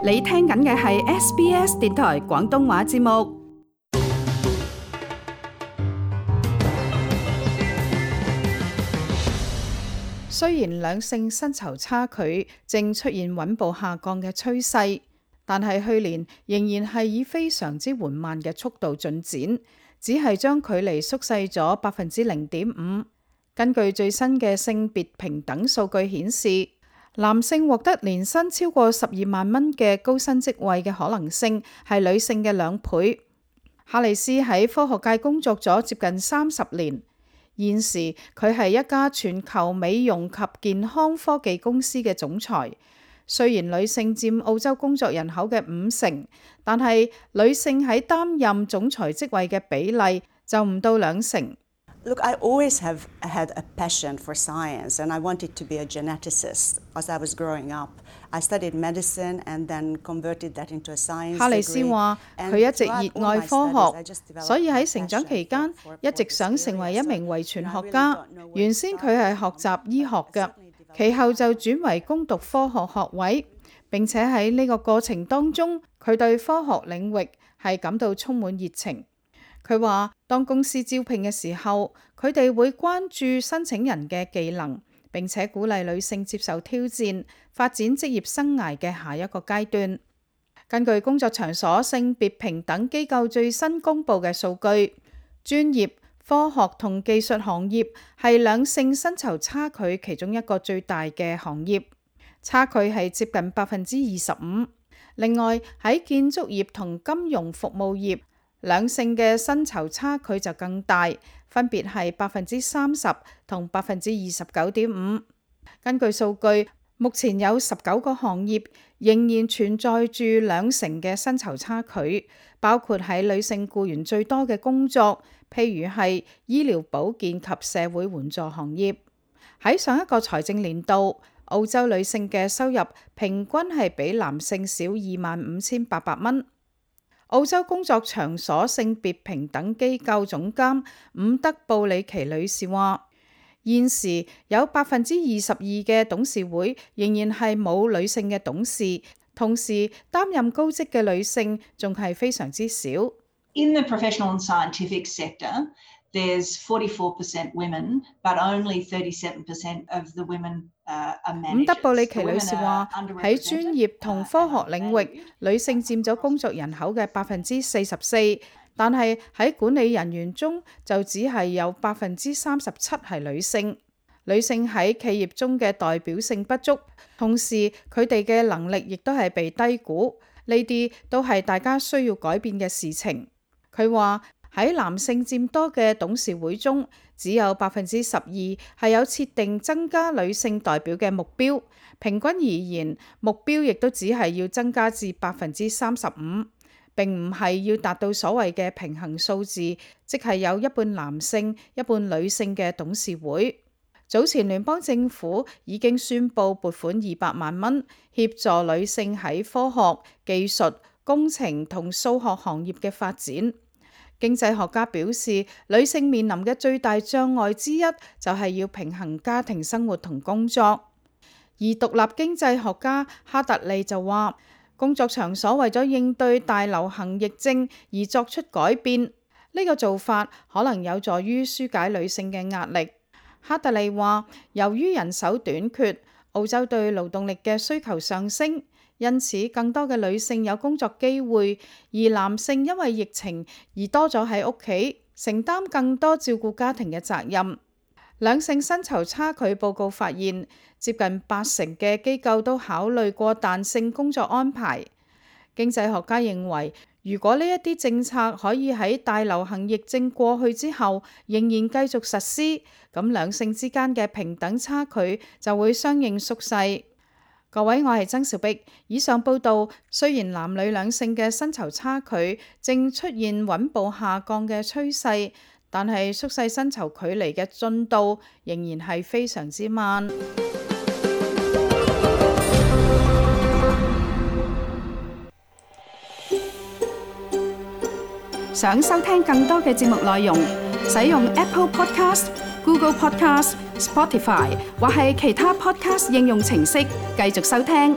你聽緊嘅係 SBS 電台廣東話節目。雖然兩性薪酬差距正出現穩步下降嘅趨勢，但係去年仍然係以非常之緩慢嘅速度進展，只係將距離縮細咗0.5%。根據最新嘅性別平等數據顯示，男性獲得年薪超過12萬蚊嘅高薪職位嘅可能性係女性嘅2倍。哈里斯喺科學界工作咗接近30年，現時佢係一家全球美容及健康科技公司嘅總裁。雖然女性佔澳洲工作人口嘅50%，但係女性喺擔任總裁職位嘅比例就唔到2成。Look, I always have had a passion for science, and I wanted to be a geneticist as I was growing up. I studied medicine and then converted that into a science degree. 哈里斯話：佢一直熱愛科學，所以喺成長期間一直想成為一名遺傳學家。原先佢係學習醫學嘅，其後就轉為攻讀科學學位。並且喺呢個過程當中，佢對科學領域係感到充滿熱情。佢話：當公司招聘嘅時候，佢哋會關注申請人嘅技能，並且鼓勵女性接受挑戰，發展職業生涯嘅下一個階段。根據工作場所性別平等機構最新公布嘅數據，專業、科學同技術行業係兩性薪酬差距其中一個最大嘅行業，差距係接近25%。另外喺建築業同金融服務業，兩性嘅薪酬差距就更大，分別係30%同29.5%。根據數據，目前有19個行業仍然存在住2成嘅薪酬差距，包括喺女性僱員最多嘅工作，譬如係醫療保健及社會援助行業。喺上一個財政年度，澳洲女性嘅收入平均係比男性少25,800蚊。澳洲工作場所性別平等機構總監伍德布里奇女士話：現時有22%嘅董事會仍然係冇女性嘅董事，同時擔任高職嘅女性仲係非常之少。In the professional and scientific sector, there's 44% women, but only 37% of the women are managers. 伍德布里奇女士話：喺專業同科學領域，女性佔咗工作人口嘅44%，但係喺管理人員中就只係有37%係女性。女性喺企業中嘅代表性不足，同時佢哋嘅能力亦都係被低估，呢啲都係大家需要改變嘅事情。佢話：喺男性佔多嘅董事會中，只有12%係有設定增加女性代表嘅目標。平均而言，目標亦都只係要增加至35%，並唔係要達到所謂嘅平衡數字，即係有一半男性、一半女性嘅董事會。早前聯邦政府已經宣布撥款200萬蚊，協助女性喺科學、技術、工程同數學行業嘅發展。經濟學家表示，女性面臨嘅最大障礙之一就係要平衡家庭生活同工作。而獨立經濟學家哈特利就話，工作場所為咗應對大流行疫症而作出改變，呢個做法可能有助於紓解女性嘅壓力。哈特利話，由於人手短缺，澳洲對勞動力嘅需求上升，因此更多嘅女性有工作機會，而男性因為疫情而多咗喺屋企，承擔更多照顧家庭嘅責任。兩性薪酬差距報告發現，接近80%嘅機構都考慮過彈性工作安排。經濟學家認為，如果呢一啲政策可以喺大流行疫症過去之後仍然繼續實施，咁兩性之間嘅平等差距就會相應縮細。各位，我係曾兆碧。以上報道，雖然男女兩性嘅薪酬差距正出現穩步下降嘅趨勢，但係縮細薪酬距離嘅進度仍然係非常之慢。想收聽更多嘅節目內容，使用 Apple Podcast、Google Podcast、Spotify 或係其他 Podcast 應用程式繼續收聽。